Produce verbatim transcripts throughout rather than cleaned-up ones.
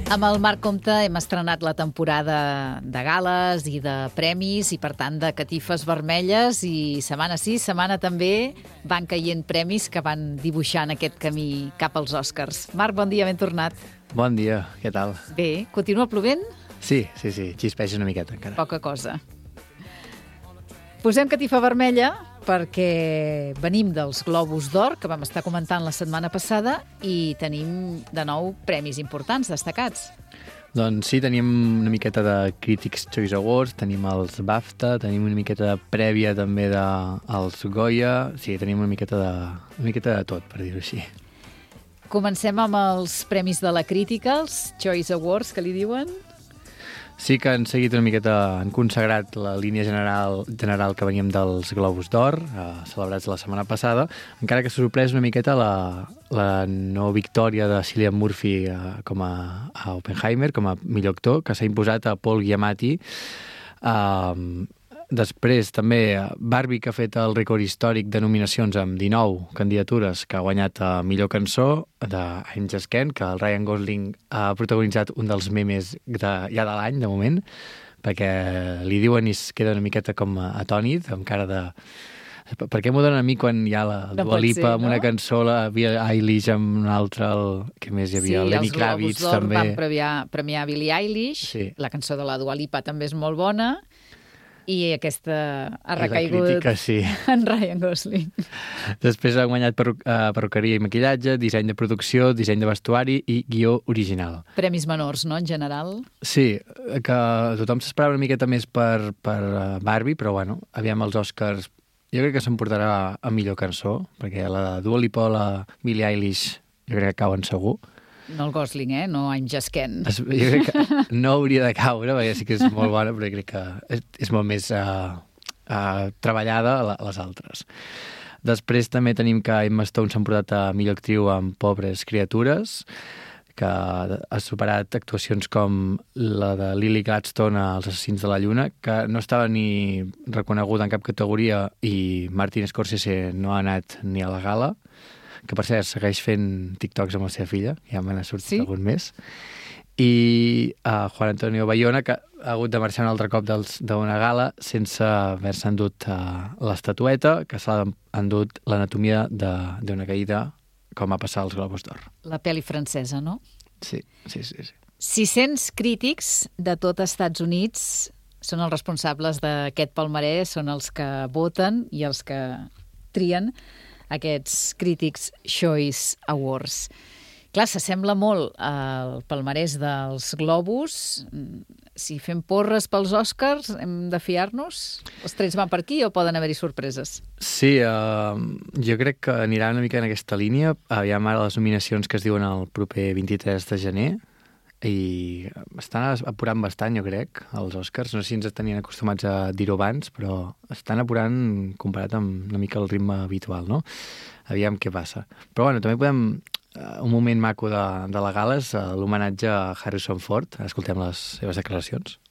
Amb el Marc Compte hem estrenat la temporada de gales i de premis i, per tant, de catifes vermelles, i setmana sí, setmana també van caient premis que van dibuixant aquest camí cap als Oscars. Marc, bon dia, ben tornat. Bon dia, què tal? Bé, continua plovent? Sí, sí, sí, xispeix una miqueta encara. Poca cosa. Posem catifa vermella perquè venim dels Globus d'Or, que vam estar comentant la setmana passada, i tenim de nou premis importants, destacats. Doncs sí, tenim una miqueta de Critics' Choice Awards, tenim els BAFTA, tenim una miqueta de prèvia també dels Goya, sí, tenim una miqueta de, una miqueta de tot, per dir-ho així. Comencem amb els premis de la crítica, els Choice Awards, que li diuen. Sí que han seguit una miqueta, han consagrat la línia general general que veníem dels Globus d'Or, eh, celebrats la setmana passada, encara que s'ha sorprès una miqueta la, la no victòria de Cillian Murphy eh, com a, a Oppenheimer, com a millor actor, que s'ha imposat a Paul Giamatti. Eh, després també Barbie, que ha fet el rècord històric de nominacions amb dinou candidatures, que ha guanyat a millor cançó, de I'm Just Ken, que el Ryan Gosling ha protagonitzat un dels memes de, ja de l'any, de moment, perquè li diuen i es queda una miqueta com atònit, amb cara de... Per què m'ho donen a mi quan hi ha la no Dua Lipa amb no? una cançó, la Billie Eilish amb una altra, el... què més hi havia? Sí, Lenny Kravitz també. Sí, els Globus d'Or van premiar, premiar Billie Eilish, sí. La cançó de la Dua Lipa també és molt bona, i aquesta ha recaigut crítica, sí. en Ryan Gosling. Després ha guanyat per, uh, perruqueria i maquillatge, disseny de producció, disseny de vestuari i guió original. Premis menors, no?, en general? Sí, que tothom s'esperava una miqueta més per, per Barbie, però bueno, aviam els Oscars. Jo crec que s'emportarà a millor cançó, perquè la Dua Lipa o la Billie Eilish jo crec que cauen segur. No el Gosling, eh? No I'm Just Ken. Es, jo crec que no hauria de caure, perquè sí que és molt bona, però crec que és, és molt més uh, uh, treballada a les altres. Després també tenim que Emma Stone s'ha portat a millor actriu amb Pobres criatures, que ha superat actuacions com la de Lily Gladstone a Els assassins de la lluna, que no estava ni reconeguda en cap categoria, i Martin Scorsese no ha anat ni a la gala, que per cert segueix fent TikToks amb la seva filla, ja me n'ha sortit sí? algun més, i uh, Juan Antonio Bayona, que ha hagut de marxar un altre cop d'una gala sense haver-se endut uh, l'estatueta, que s'ha endut l'anatomia d'una caïda, com va passar als Globus d'Or. La pel·li francesa, no? Sí, sí, sí, sí. sis-cents crítics de tot Estats Units són els responsables d'aquest palmarès, són els que voten i els que trien aquests Critics' Choice Awards. Clar, s'assembla molt al palmarès dels Globus. Si fem porres pels Oscars, hem de fiar-nos? Els trets van per aquí o poden haver-hi sorpreses? Sí, uh, jo crec que anirà una mica en aquesta línia. Aviam ara les nominacions que es diuen el proper vint-i-tres de gener, i estan apurant bastant, jo crec, els Oscars. No sé si ens tenien acostumats a dir-ho abans, però estan apurant comparat amb una mica el ritme habitual, no? Aviam què passa. Però bueno, també podem... Uh, un moment maco de, de la gala és uh, l'homenatge a Harrison Ford. Escoltem les seves declaracions.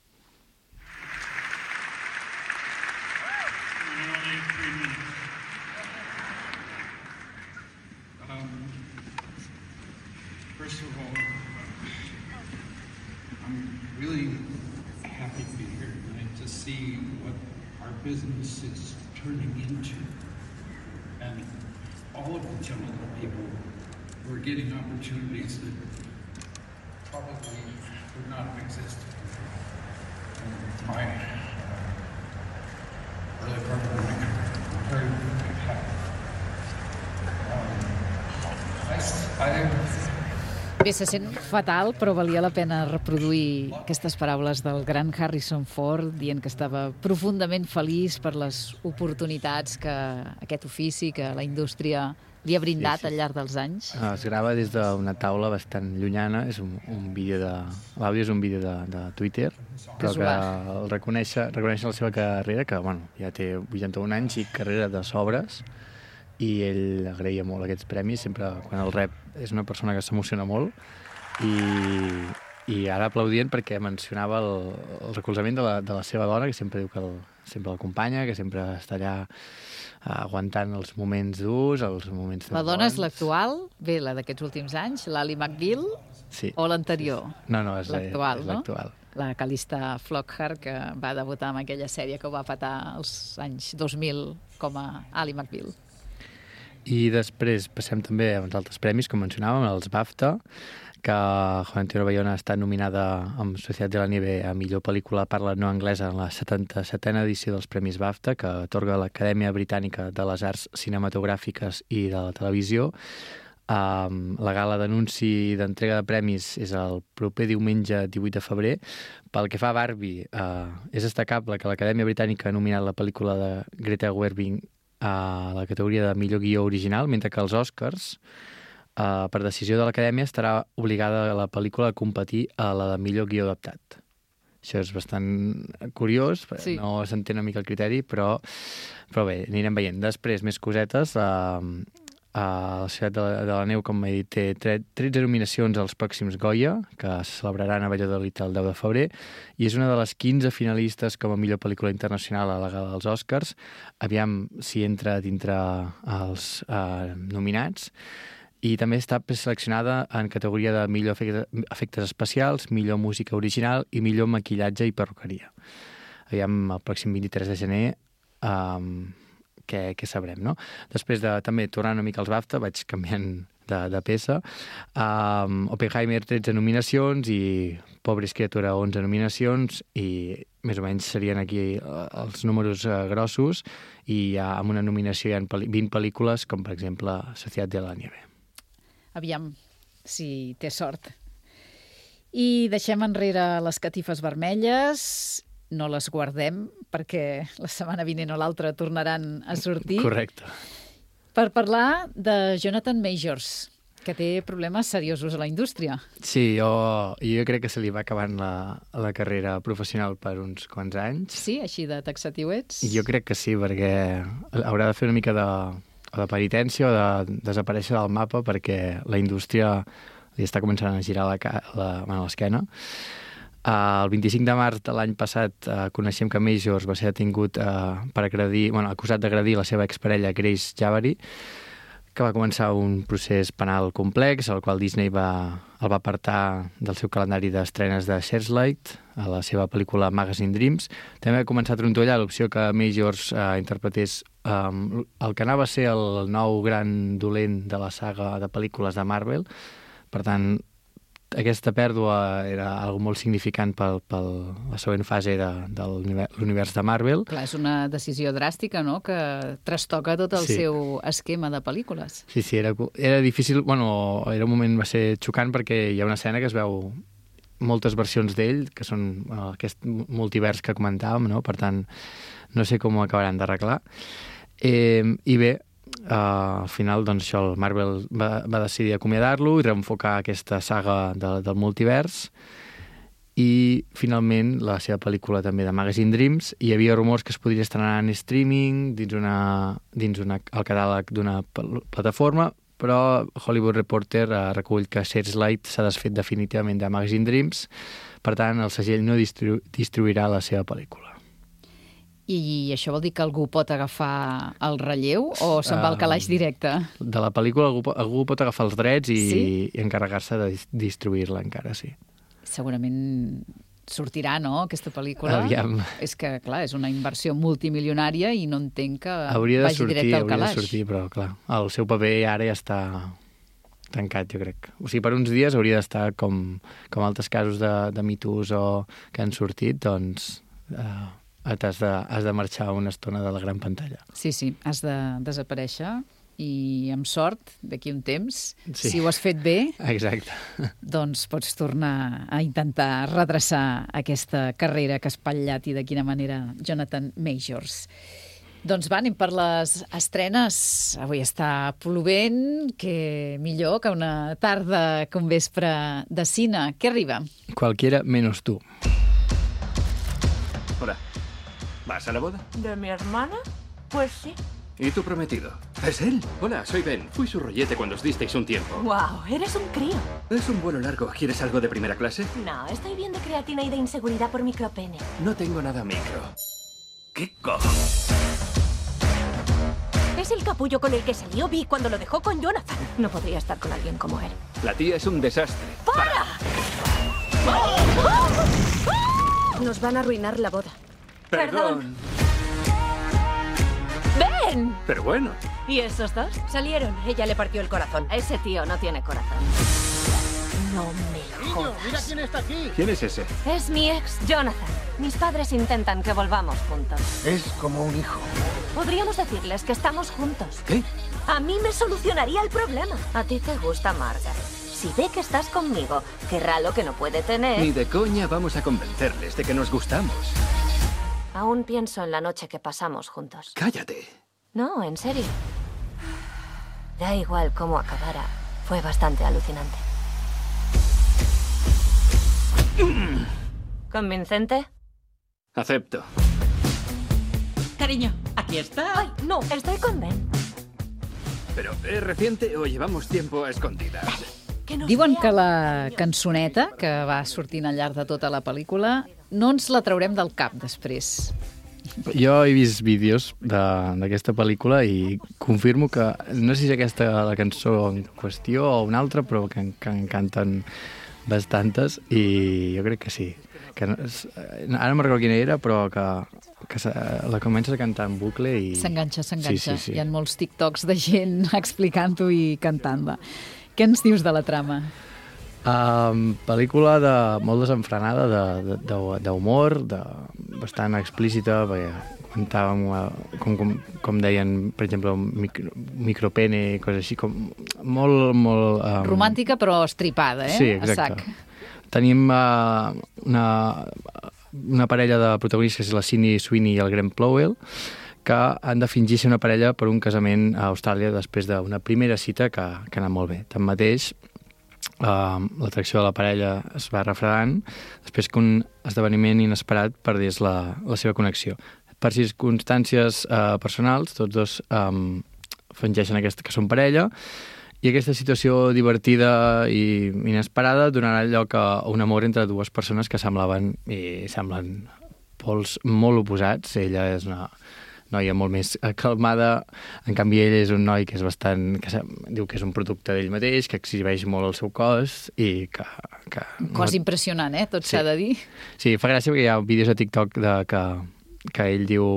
Business is turning into, and all of the young people who are getting opportunities that probably would not have existed in my uh, early part of my career. I'm very, very happy. Um, I, I Bé, se sent fatal, però valia la pena reproduir aquestes paraules del gran Harrison Ford, dient que estava profundament feliç per les oportunitats que aquest ofici, que la indústria li ha brindat sí, sí. al llarg dels anys. Es grava des d'una taula bastant llunyana, és un, un vídeo de... L'àudio és un vídeo de, de Twitter, però que el reconeix, reconeix la seva carrera, que bueno, ja té vuitanta-un anys i carrera de sobres, i ell agraïa molt aquests premis, sempre quan el rep és una persona que s'emociona molt, i, i ara aplaudient perquè mencionava el, el recolzament de la, de la seva dona, que sempre diu que el, sempre l'acompanya, que sempre està allà aguantant els moments durs, els moments... La dona és l'actual, bé, la d'aquests últims anys, l'Ally McBeal, sí, o l'anterior? No, no, és l'actual, és l'actual. No? La Calista Flockhart, que va debutar amb aquella sèrie que ho va patar als anys dos mil com a Ally McBeal. I després passem també a uns altres premis, com mencionàvem, els BAFTA, que Juan Antonio Bayona està nominada amb Societat de la Nieve a millor pel·lícula parla no anglesa en la setanta-setena edició dels Premis BAFTA, que atorga l'Acadèmia Britànica de les Arts Cinematogràfiques i de la Televisió. Um, la gala d'anunci d'entrega de premis és el proper diumenge divuit de febrer. Pel que fa a Barbie, uh, és destacable que l'Acadèmia Britànica ha nominat la pel·lícula de Greta Gerwig a la categoria de millor guió original, mentre que els Oscars, uh, per decisió de l'Acadèmia, estarà obligada la pel·lícula a competir a la de millor guió adaptat. Això és bastant curiós, sí. No s'entén una mica el criteri, però, però bé, anirem veient. Després, més cosetes... Uh, Uh, la Ciutat de la, de la Neu, com he dit, té tretze nominacions als pròxims Goya, que se celebraran a Valladolid el deu de febrer, i és una de les quinze finalistes com a millor pel·lícula internacional a la gala dels Oscars. Aviam si entra dintre els uh, nominats. I també està seleccionada en categoria de millor efectes, efectes especials, millor música original i millor maquillatge i perruqueria. Aviam, el pròxim vint-i-tres de gener... Um, Què, què sabrem, no? Després de, també, tornant una mica als BAFTA, vaig canviant de, de peça. Um, Oppenheimer, tretze nominacions, i Pobres criatura, onze nominacions, i més o menys serien aquí els números uh, grossos, i uh, amb una nominació hi ha vint pel·lícules, com per exemple Societat de la Nieve. Aviam si té sort. I deixem enrere les catifes vermelles... No les guardem, perquè la setmana vinent o l'altra tornaran a sortir. Correcte. Per parlar de Jonathan Majors, que té problemes seriosos a la indústria. Sí, jo, jo crec que se li va acabant la, la carrera professional per uns quants anys. Sí, així de taxatiu ets? Jo crec que sí, perquè haurà de fer una mica de, de penitència o de desaparèixer del mapa, perquè la indústria li està començant a girar la, la, bueno, l'esquena. Uh, el vint-i-cinc de març de l'any passat uh, coneixem que Majors va ser detingut uh, per agredir, bueno, acusat d'agredir la seva exparella Grace Jabbary, que va començar un procés penal complex, el qual Disney va, el va apartar del seu calendari d'estrenes de Searchlight, a la seva pel·lícula Magazine Dreams. També va començar a trontollar l'opció que Majors uh, interpretés um, el que anava a ser el nou gran dolent de la saga de pel·lícules de Marvel. Per tant, aquesta pèrdua era algo molt significant per la següent fase de, de l'univers de Marvel. Clar, és una decisió dràstica, no?, que trastoca tot el sí. seu esquema de pel·lícules. Sí, sí, era, era difícil, bueno, era un moment, va ser xocant, perquè hi ha una escena que es veu moltes versions d'ell, que són bueno, aquest multivers que comentàvem, no?, per tant, no sé com ho acabaran d'arreglar. Eh, I bé, Uh, al final, doncs, això, el Marvel va, va decidir acomiadar-lo i reenfocar aquesta saga de, del multivers, i finalment la seva pel·lícula també de Magazine Dreams. Hi havia rumors que es podria estrenar en streaming dins, una, dins una, el catàleg d'una plataforma, però Hollywood Reporter uh, recull que Searchlight s'ha desfet definitivament de Magazine Dreams, per tant el segell no distribu distribuirà la seva pel·lícula. I això vol dir que algú pot agafar el relleu o se'n va al calaix directe? De la pel·lícula algú, algú pot agafar els drets i, sí? i encarregar-se de distribuir-la encara, sí. Segurament sortirà, no?, aquesta pel·lícula. Aviam. És que, clar, és una inversió multimilionària i no entenc que hauria de vagi sortir, directe al hauria calaix. De sortir, però, clar, el seu paper ara ja està tancat, jo crec. O sigui, per uns dies hauria d'estar com, com altres casos de, de mitos o que han sortit, doncs... Eh, Has de, has de marxar una estona de la gran pantalla. Sí, sí, has de desaparèixer i amb sort, d'aquí un temps, sí. si ho has fet bé, exacte, doncs pots tornar a intentar redreçar aquesta carrera que ha espatllat, i de quina manera, Jonathan Majors. Doncs va, anem per les estrenes. Avui està plovent, que millor que una tarda que un vespre de cine. Què arriba? Cualquiera menos tú. Hola. ¿Vas a la boda? ¿De mi hermana? Pues sí. ¿Y tu prometido? ¿Es él? Hola, soy Ben. Fui su rollete cuando os disteis un tiempo. Wow, eres un crío. Es un vuelo largo. ¿Quieres algo de primera clase? No, estoy bien de creatina y de inseguridad por micropene. No tengo nada micro. ¿Qué co... Es el capullo con el que salió Vi cuando lo dejó con Jonathan. No podría estar con alguien como él. La tía es un desastre. ¡Para! Nos van a arruinar la boda. Perdón. ¡Ven! Pero bueno. ¿Y esos dos? Salieron. Ella le partió el corazón. Ese tío no tiene corazón. No me lo jodas. ¡Mira quién está aquí! ¿Quién es ese? Es mi ex, Jonathan. Mis padres intentan que volvamos juntos. Es como un hijo. Podríamos decirles que estamos juntos. ¿Qué? A mí me solucionaría el problema. A ti te gusta Margaret. Si ve que estás conmigo, querrá lo que no puede tener. Ni de coña vamos a convencerles de que nos gustamos. Aún pienso en la noche que pasamos juntos. Cállate. No, en serio. Da igual cómo acabara. Fue bastante alucinante. ¿Convincente? Acepto. Cariño, aquí está. Ay, no, estoy con Ben. Pero ¿es reciente o llevamos tiempo a escondidas? Que nos Diuen vea que la niños. cançoneta, que va sortint al llarg de tota la pel·lícula, no ens la traurem del cap després. Jo he vist vídeos de- d'aquesta pel·lícula i confirmo que no sé si és aquesta la cançó en qüestió o una altra, però que, que en canten bastantes i jo crec que sí. Que no, és- ara no recordo quina era, però que, que se, la comences a cantar en bucle i... S'enganxa, s'enganxa. Sí, sí, sí. Hi ha molts TikToks de gent explicant-ho i cantant-la. Què ens dius de la trama? Um, pel·lícula de, molt desenfrenada, de- de- de- d'humor, de, de, bastant explícita, perquè comentàvem, eh, com, com, com deien, per exemple, micro, micropene, coses així, com molt... molt um, Romàntica però estripada, eh? Sí, A exacte. sac. Tenim uh, una, una parella de protagonistes, que és la Sydney Sweeney i el Graham Plowell, que han de fingir ser una parella per un casament a Austràlia després d'una primera cita que, que ha anat molt bé. Tanmateix, uh, l'atracció de la parella es va refredant després que un esdeveniment inesperat perdés la, la seva connexió. Per circumstàncies uh, personals, tots dos um, fingeixen aquesta, que són parella, i aquesta situació divertida i inesperada donarà lloc a un amor entre dues persones que semblaven i semblen pols molt oposats. Ella és una noia molt més calmada, en canvi ell és un noi que és bastant, que se, diu que és un producte d'ell mateix, que exhibeix molt el seu cos i que... que Un cos no... impressionant, eh? Tot Sí. s'ha de dir. Sí, fa gràcia perquè hi ha vídeos a TikTok de, que, que ell diu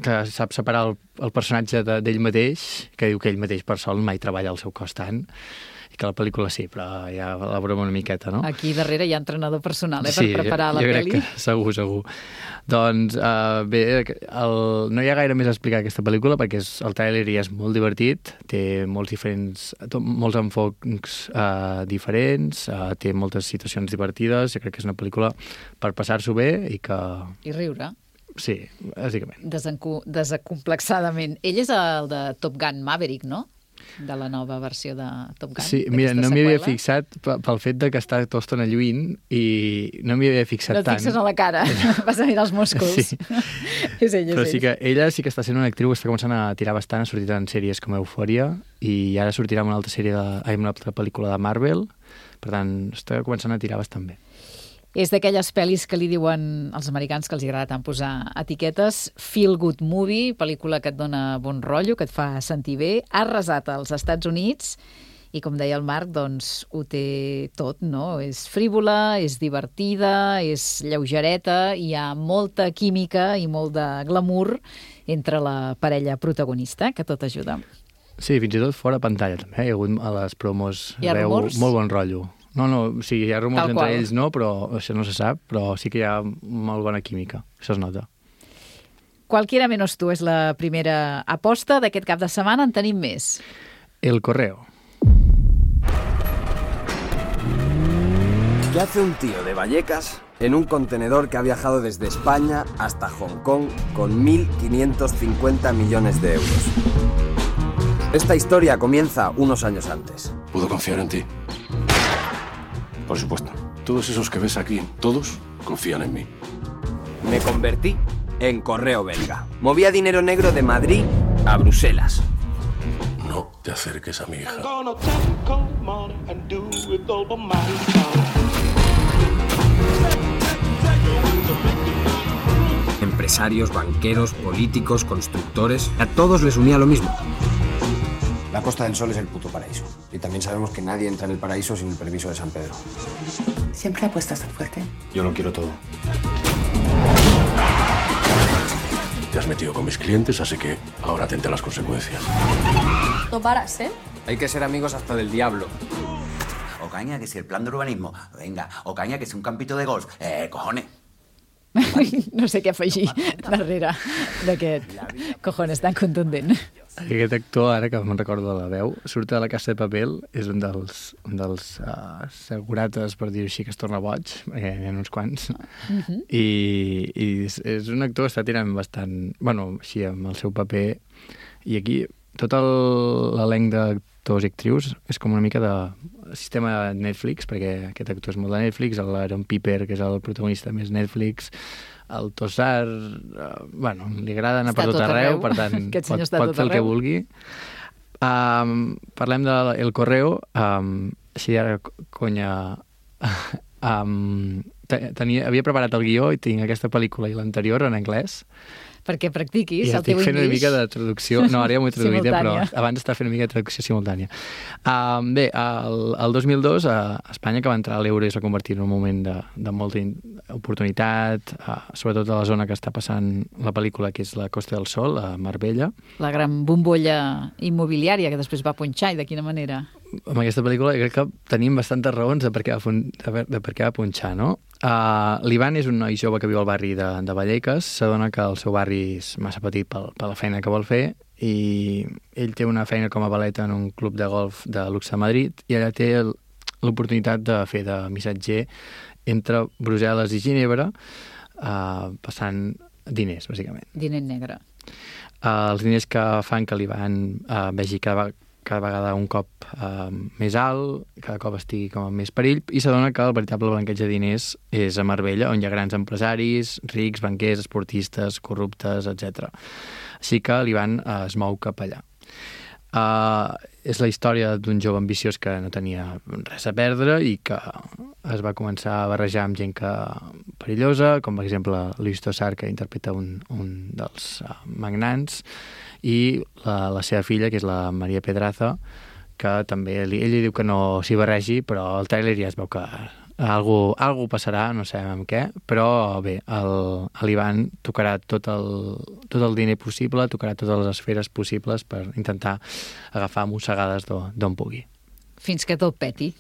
que sap separar el, el personatge de- d'ell mateix, que diu que ell mateix per sol mai treballa el seu cos tant, i que la pel·lícula sí, però ja la broma una miqueta, no? Aquí darrere hi ha entrenador personal, eh? Per Sí, preparar jo, la jo pel·li. crec que segur, segur. Doncs uh, bé, el, no hi ha gaire més a explicar aquesta pel·lícula perquè és, el tràiler ja és molt divertit, té molts diferents, to, molts enfocs uh, diferents, uh, té moltes situacions divertides, jo crec que és una pel·lícula per passar-s'ho bé i que... I riure. Sí, bàsicament. Desencu desacomplexadament. Ell és el de Top Gun Maverick, no? De la nova versió de Top Gun. Sí, mira, d'aquesta no m'hi havia seqüela. fixat pe- pel fet de que està tota estona lluint i no m'hi havia fixat No et tant. fixes a la cara, vas a mirar els músculs. Sí. és ell, és Però ell. sí que ella sí que està sent una actriu que està començant a tirar bastant, ha sortit en sèries com Eufòria i ara sortirà en una altra sèrie, de, ai, en una altra pel·lícula de Marvel, per tant, està començant a tirar bastant bé. És d'aquelles pel·lis que li diuen als americans que els agrada tant posar etiquetes, feel good movie, pel·lícula que et dona bon rotllo, que et fa sentir bé, ha arrasat als Estats Units i, com deia el Marc, doncs ho té tot, no? És frívola, és divertida, és lleugereta, hi ha molta química i molt de glamour entre la parella protagonista, que tot ajuda. Sí, fins i tot fora pantalla també, eh? Hi ha hagut a les promos, Hi ha veu rumors? molt bon rotllo. No, no, sí, hi ha rumors Tal entre qual. ells, no, però això no se sap, però sí que hi ha molt bona química, això es nota. Cualquiera menos tú és la primera aposta d'aquest cap de setmana, en tenim més. El Correo. ¿Qué hace un tío de Vallecas en un contenedor que ha viajado desde España hasta Hong Kong con mil quinientos cincuenta millones de euros? Esta historia comienza unos años antes. ¿Puedo confiar en ti? Por supuesto. Todos esos que ves aquí, todos confían en mí. Me convertí en correo belga. Movía dinero negro de Madrid a Bruselas. No te acerques a mi hija. Empresarios, banqueros, políticos, constructores, a todos les unía lo mismo. La Costa del Sol es el puto paraíso. Y también sabemos que nadie entra en el paraíso sin el permiso de San Pedro. ¿Siempre apuestas tan fuerte? Yo lo quiero todo. Te has metido con mis clientes, así que ahora atente a las consecuencias. No paras, ¿eh? Hay que ser amigos hasta del diablo. Ocaña, que si el plan de urbanismo. Venga, Ocaña, que si un campito de golf. Eh, cojones. No sé què afegir darrere d'aquest cojones tan contundent. Aquest actor, ara que me'n recordo de la veu, surt de La Casa de Papel, és un dels, un dels uh, segurates, per dir-ho així, que es torna boig, perquè n'hi ha uns quants, uh-huh. i, i és, és un actor que està tirant bastant, bueno, així, amb el seu paper, i aquí tot l'elenc d'actors i actrius és com una mica de sistema Netflix, perquè aquest actor és molt de Netflix, l'Aaron Piper, que és el protagonista més Netflix, el Tossar, uh, bueno, li agrada anar està per tot, tot arreu, arreu, per tant, pot, pot fer el que vulgui. Um, parlem de El Correo, um, així ara, conya, um, tenia, havia preparat el guió i tinc aquesta pel·lícula i l'anterior en anglès, perquè practiquis I el teu English. I estic fent una mica de traducció. No, ara ja m'ho he traduït, però abans estava fent una mica de traducció simultània. Uh, bé, el, el dos mil dos, a Espanya, que va entrar a l'euro i es va convertir en un moment de, de molta oportunitat, uh, sobretot a la zona que està passant la pel·lícula, que és la Costa del Sol, a Marbella. La gran bombolla immobiliària que després va punxar, i de quina manera? Amb aquesta pel·lícula crec que tenim bastantes raons de per què va, de, de per què va punxar, no? Uh, L'Ivan és un noi jove que viu al barri de, de Vallecas, s'adona que el seu barri és massa petit per, per la feina que vol fer i ell té una feina com a valeta en un club de golf de luxe a Madrid i allà té l'oportunitat de fer de missatger entre Brussel·les i Ginebra, uh, passant diners, bàsicament. Diner negre. Uh, els diners que fan que l'Ivan uh, vegi cada vegada cada vegada un cop uh, més alt, cada cop estigui com en més perill, i s'adona que el veritable blanqueig de diners és a Marbella, on hi ha grans empresaris, rics, banquers, esportistes, corruptes, etcètera. Així que l'Ivan uh, es mou cap allà. Uh, és la història d'un jove ambiciós que no tenia res a perdre i que es va començar a barrejar amb gent que perillosa, com per exemple Luis Tosar, que interpreta un, un dels uh, magnants, i la, la seva filla, que és la Maria Pedraza, que també, ell li diu que no s'hi barregi, però el tràiler ja es veu que algú, algú passarà, no sabem amb què, però bé, l'Ivan tocarà tot el, tot el diner possible, tocarà totes les esferes possibles per intentar agafar mossegades d'on pugui. Fins que tot peti.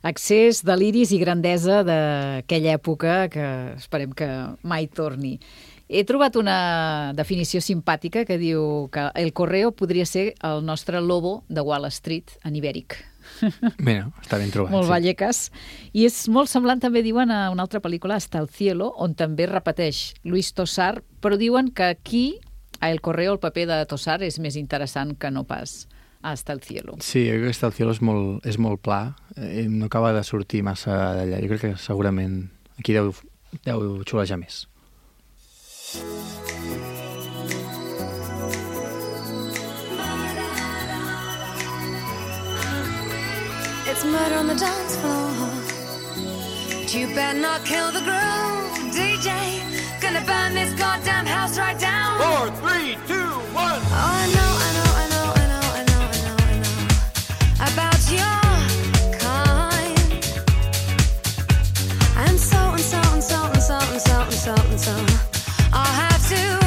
Accés, deliris i grandesa d'aquella època que esperem que mai torni. He trobat una definició simpàtica que diu que El Correo podria ser el nostre Lobo de Wall Street en ibèric. Mira, està ben trobat. Molt sí. Vallecas. I és molt semblant, també diuen, a una altra pel·lícula, Hasta el cielo, on també repeteix Luis Tosar, però diuen que aquí, a El Correo, el paper de Tosar és més interessant que no pas a Hasta el cielo. Sí, jo crec que Hasta el cielo és molt, és molt pla, eh, no acaba de sortir massa d'allà. Jo crec que segurament aquí deu, deu xulejar més. It's murder on the dance floor, but you better not kill the groove, D J. Gonna burn this goddamn house right down. Four, three, two, one. Oh, I know, I know, I know, I know, I know, I know, I know about your kind. And so and so and so and so and so and so and so. I'll have to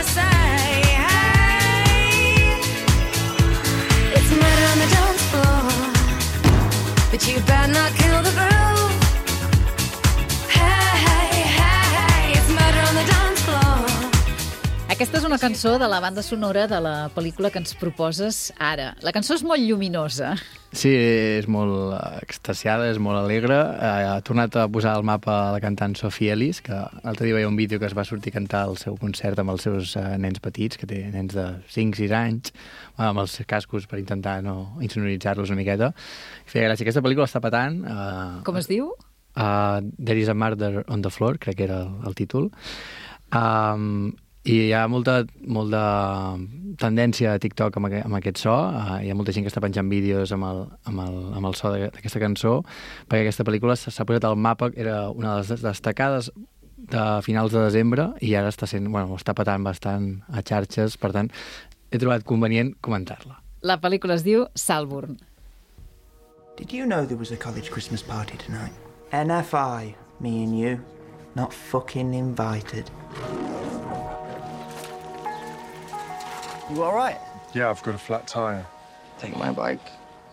say cançó de la banda sonora de la pel·lícula que ens proposes ara. La cançó és molt lluminosa. Sí, és molt extasiada, és molt alegre. Ha tornat a posar al mapa la cantant Sophie Ellis, que l'altre dia veia un vídeo que es va sortir a cantar al seu concert amb els seus nens petits, que té nens de cinc sis anys, amb els cascos per intentar no insonoritzar-los una miqueta. I feia gràcia. Aquesta pel·lícula està patant. Uh, Com es diu? Uh, There is a Murder on the Floor, crec que era el, el títol. Um, I hi ha molta, molta tendència a TikTok amb, amb aquest so. Uh, hi ha molta gent que està penjant vídeos amb el, amb el, amb el so d'aquesta cançó, perquè aquesta pel·lícula s'ha posat al mapa, era una de les destacades de finals de desembre, i ara està sent, bueno, està patant bastant a xarxes, per tant, he trobat convenient comentar-la. La pel·lícula es diu Salburn. Did you know there was a college Christmas party tonight? N F I, me and you, not fucking invited. You all right? Yeah, I've got a flat tire. Take my bike.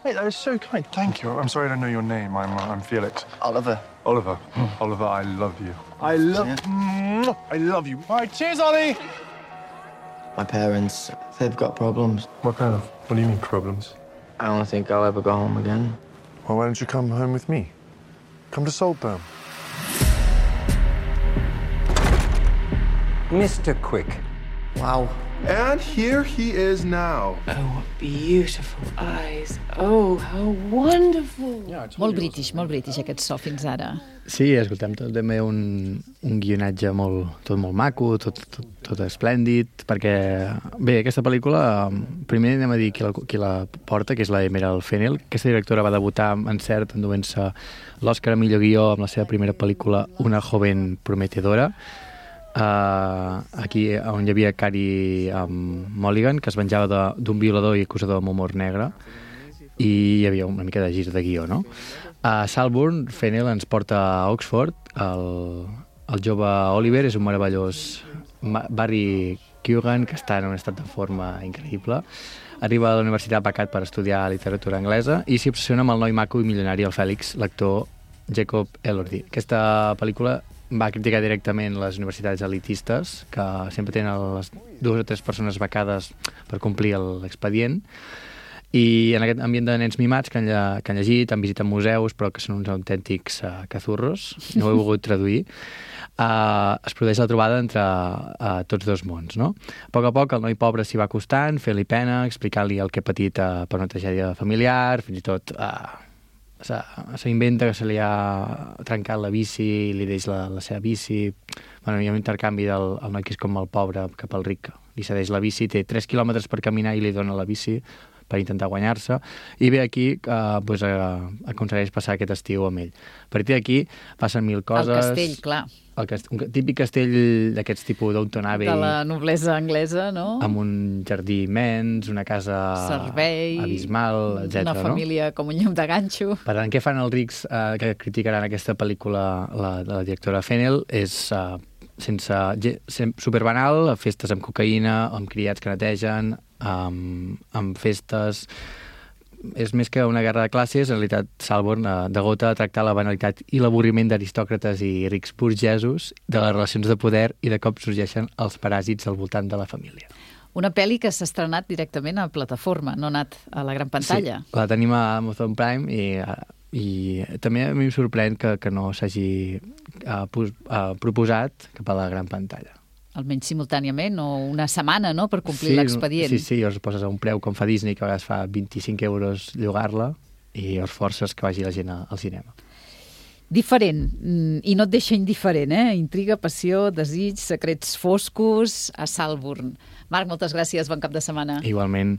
Hey, that is so kind. Thank you. I'm sorry I don't know your name. I'm, uh, I'm Felix. Oliver. Oliver. Oliver, I love you. I love yeah. I love you. All right, cheers, Ollie! My parents, they've got problems. What kind of? What do you mean, problems? I don't think I'll ever go home again. Well, why don't you come home with me? Come to Saltburn. Mister Quick. Wow. And here he is now. Oh, what beautiful eyes. Oh, how wonderful. Yeah, molt british, molt british aquest so fins ara. Sí, escoltem, tot també un, un guionatge molt, tot molt maco, tot, tot, tot esplèndid, perquè, bé, aquesta pel·lícula, primer anem a dir qui la, qui la porta, que és la Emerald Fennell. Aquesta directora va debutar amb encert enduent-se l'Oscar a millor guió amb la seva primera pel·lícula Una joven prometedora, Uh, aquí on hi havia Carey um, Mulligan, que es venjava d'un violador i acusador amb humor negre, i hi havia una mica de gir de guió, no? A Salburn, Fennell ens porta a Oxford. El, el jove Oliver és un meravellós Barry Keoghan que està en un estat de forma increïble. Arriba a la universitat becat per estudiar literatura anglesa i s'hi obsessiona amb el noi maco i milionari, el Fèlix, l'actor Jacob Elordi. Aquesta pel·lícula va criticar directament les universitats elitistes, que sempre tenen les dues o tres persones becades per complir l'expedient, i en aquest ambient de nens mimats que han, lle que han llegit, han visitat museus, però que són uns autèntics uh, cazurros, no ho he volgut traduir, uh, es produeix la trobada entre uh, tots dos mons, no? A poc a poc el noi pobre s'hi va acostant, fent-li pena, explicant-li el que ha patit uh, per una tragèdia familiar, fins i tot uh, s'inventa que se li ha trencat la bici i li deix la, la seva bici. Bueno, hi ha un intercanvi del el noi que és com el pobre cap al ric. Li cedeix la bici, té tres quilòmetres per caminar i li dona la bici per intentar guanyar-se. I ve aquí que eh, pues, eh, aconsegueix passar aquest estiu amb ell. A partir d'aquí passen mil coses. El castell, clar. El cast... Un típic castell d'aquests tipus Downton Abbey. De la noblesa anglesa, no? Amb un jardí immens, una casa servei, abismal, etcètera. Una família no? Com un llum de ganxo. Per tant, què fan els rics eh, que criticaran aquesta pel·lícula la, de la directora Fennell? És eh, sense, superbanal, festes amb cocaïna, amb criats que netegen, amb, amb festes... És més que una guerra de classes, en realitat Salburn eh, degota a tractar la banalitat i l'avorriment d'aristòcrates i rics burgesos, de les relacions de poder i de cop sorgeixen els paràsits al voltant de la família. Una pel·li que s'ha estrenat directament a plataforma, no ha anat a la gran pantalla. Sí, la tenim a Amazon Prime i, i també a mi em sorprèn que, que no s'hagi uh, uh, proposat cap a la gran pantalla. Almenys simultàniament, o una setmana, no?, per complir sí, l'expedient. Sí, sí, llavors poses a un preu com fa Disney, que a vegades fa vint-i-cinc euros llogar-la, i llavors forces que vagi la gent al cinema. Diferent, i no et deixa indiferent, eh? Intriga, passió, desig, secrets foscos a Salburn. Marc, moltes gràcies, bon cap de setmana. Igualment.